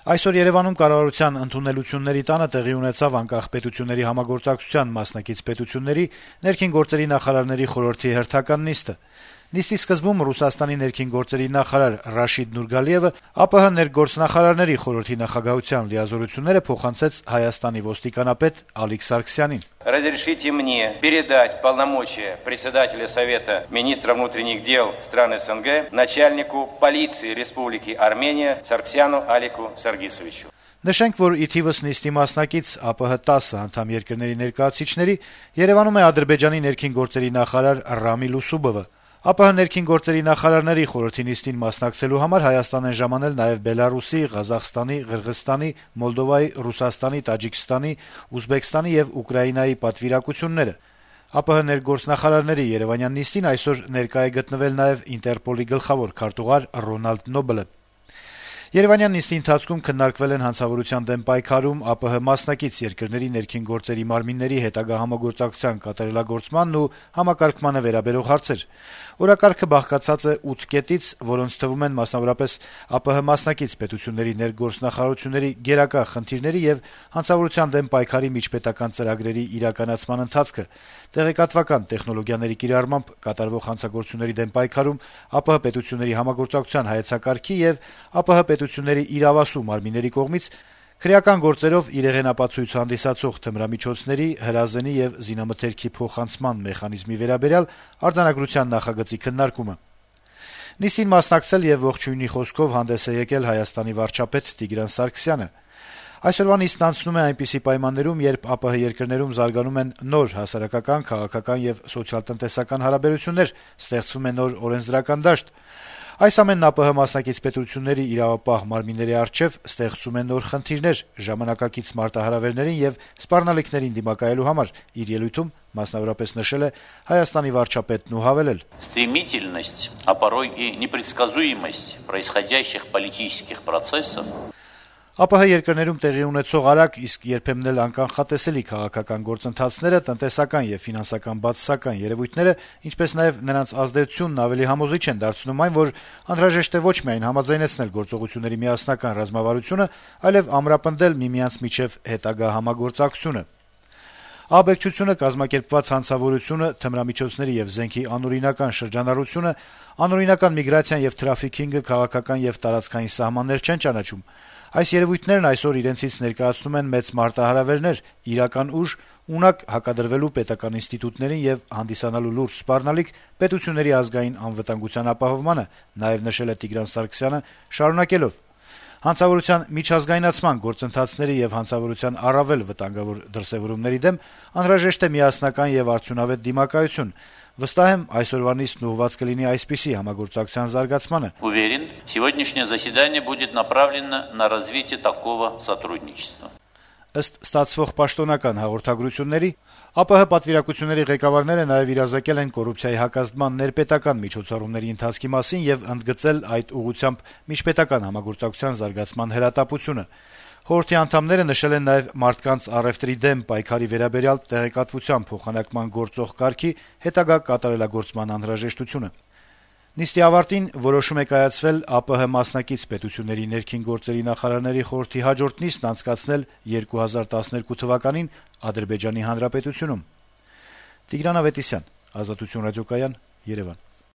Այսօր Երեւանում կառավարության ընդունելությունների տանը տեղի ունեցավ անկախ պետությունների համագործակցության մասնակից պետությունների ներքին գործերի նախարարների խորհրդի հերթական նիստը։ Նիստի սկզբում Ռուսաստանի ներքին գործերի նախարար Ռաշիդ Նուրգալիևը ԱՊՀ ներգործնախարարների խորհրդի նախագահության լիազորությունները փոխանցեց Հայաստանի ոստիկանապետ Ալիկ Սարգսյանին։ Разрешите мне передать полномочия председателя Совета министров внутренних дел стран СНГ начальнику полиции Республики Армения Сарксяну Алику Саргисовичу. Նշենք, որ ի թիվս նիստի մասնակից ԱՊՀ 10 անդամ երկրների ներկայացուցիչների Երևանում է Ադրբեջանի ներքին գործերի նախարար Ռամիլ Ուսուբովը։ ԱՊՀ ներքին գործերի նախարարների խորհրդի նիստին մասնակցելու համար Հայաստան են ժամանել նաև Բելարուսի, Ղազախստանի, Ղրղըզստանի, Մոլդովայի, Ռուսաստանի, Տաջիկստանի, Ուզբեկստանի եւ Ուկրաինայի պատվիրակությունները։ ԱՊՀ ներգործնախարարների Երևանյան նիստին այսօր ներկա է գտնվել նաև Ինտերպոլի գլխավոր քարտուղար Ռոնալդ Նոբելը։ Երևանյան նիստի ընթացքում քննարկվել են հանցավորության դեմ պայքարում ԱՊՀ մասնակից երկրների ներքին գործերի մարմինների հետագա համագործակցության կատարելագործմանն ու համակարգմանը վերաբերող հարցեր։ Օրակարգը բաղկացած է 8 կետից, որոնց թվում են մասնավորապես ԱՊՀ մասնակից պետությունների ներգործնախարարությունների գերակա խնդիրների եւ հանցավորության դեմ պայքարի միջպետական ծրագրերի իրականացման ընթացքը, տեղեկատվական տեխնոլոգիաների կիրառմամբ կատարվող հանցագործությունների դեմ պայքարում ԱՊՀ պետությունների համագործակցության հայեցակարգի եւ ԱՊՀ պետությունների իրավասու մարմինների կողմից քրեական գործերով իրեղենապացույց հանդիսացող թմրամիջոցների, հրազենի եւ զինամթերքի փոխանցման մեխանիզմի վերաբերյալ արձանագրության նախագծի քննարկումը։ Նիստին մասնակցել եւ ողջույնի խոսքով հանդես է եկել Հայաստանի վարչապետ Տիգրան Սարգսյանը։ Այսօրվա նիստն անցնում է այնպիսի պայմաններում, երբ ԱՊՀ երկրներում զարգանում են նոր հասարակական, քաղաքական եւ սոցիալ-տնտեսական հարաբերություններ, ստեղծվում է նոր օրենսդրական դաշտ։ Այս ամենն ԱՊՀ մասնակից պետությունների իրավապահ մարմինների առջեւ ստեղծում են նոր խնդիրներ ժամանակակից մարտահրավերներին եւ սպառնալիքներին դիմակայելու համար, իր ելույթում մասնավորապես նշել է Հայաստանի վարչապետն ու հավելել. Стремительность, а порой и непредсказуемость происходящих политических процессов ԱՊՀ երկրներում տեղի ունեցող արագ, իսկ երբեմն էլ անկանխատեսելի քաղաքական գործընթացները, տնտեսական եւ ֆինանսական բացասական երևույթները, ինչպես նաեւ նրանց ազդեցությունն ավելի համոզիչ են դարձնում այն, որ անհրաժեշտ է ոչ միայն համաձայնեցնել գործողությունների միասնական ռազմավարությունը, այլև ամրապնդել միմյանց միջև հետագա համագործակցությունը։ Աբեկչությունը, կազմակերպված հանցավորությունը, թմրամիջոցների եւ զենքի անօրինական շրջանառությունը, անօրինական միգրացիան եւ թրաֆիքինգը քաղաքական եւ տարածքային սահմաններ չեն ճանաչում։ Այս երևույթներն այսօր իրենցից ներկայացնում են մեծ մարտահրավերներ, իրական ուժ, ունակ հակադրվելու պետական ինստիտուտներին եւ հանդիսանալու լուրջ սպառնալիք պետությունների ազգային անվտանգության ապահովմանը, նաեւ նշել է Տիգրան Սարգսյանը, շարունակելով. Հանցավորության միջազգայնացման գործընթացների եւ հանցավորության առավել վտանգավոր դրսեւորումների դեմ անհրաժեշտ է միասնական եւ արդյունավետ դիմակայություն։ Վստահ եմ, այսօրվա նիստն ուղղված կլինի այսպիսի համագործակցության զարգացմանը։ Уверен, сегодняшнее заседание будет направлено на развитие такого сотрудничества. Ըստ ստացվող պաշտոնական հաղորդագրությունների, ԱՊՀ պատվիրակությունների ղեկավարները նաեւ իրազեկել են կոռուպցիայի հակազդման ներպետական միջոցառումների ընթացքի մասին եւ ընդգծել այդ ուղղությամբ միջպետական համագործակցության զարգացման հրատապությունը։ Խորհրդի անդամները նշել են նաեւ մարդկանց առևտրի դեմ պայքարի վերաբերյալ տեղեկատվության փոխանակման գործող կարգի հետագա կատարելագործման անհրաժեշտությունը։ Նիստի ավարտին որոշում է կայացվել ԱՊՀ մասնակից պետությունների ներքին գործերի նախարարների խորհրդի հաջորդ նիստն անցկացնել 2012 թվականին Ադրբեջանի Հանրապետությունում։ Տիգրան Ավետիսյան, Ազատություն ռադիոկայան, Երևան։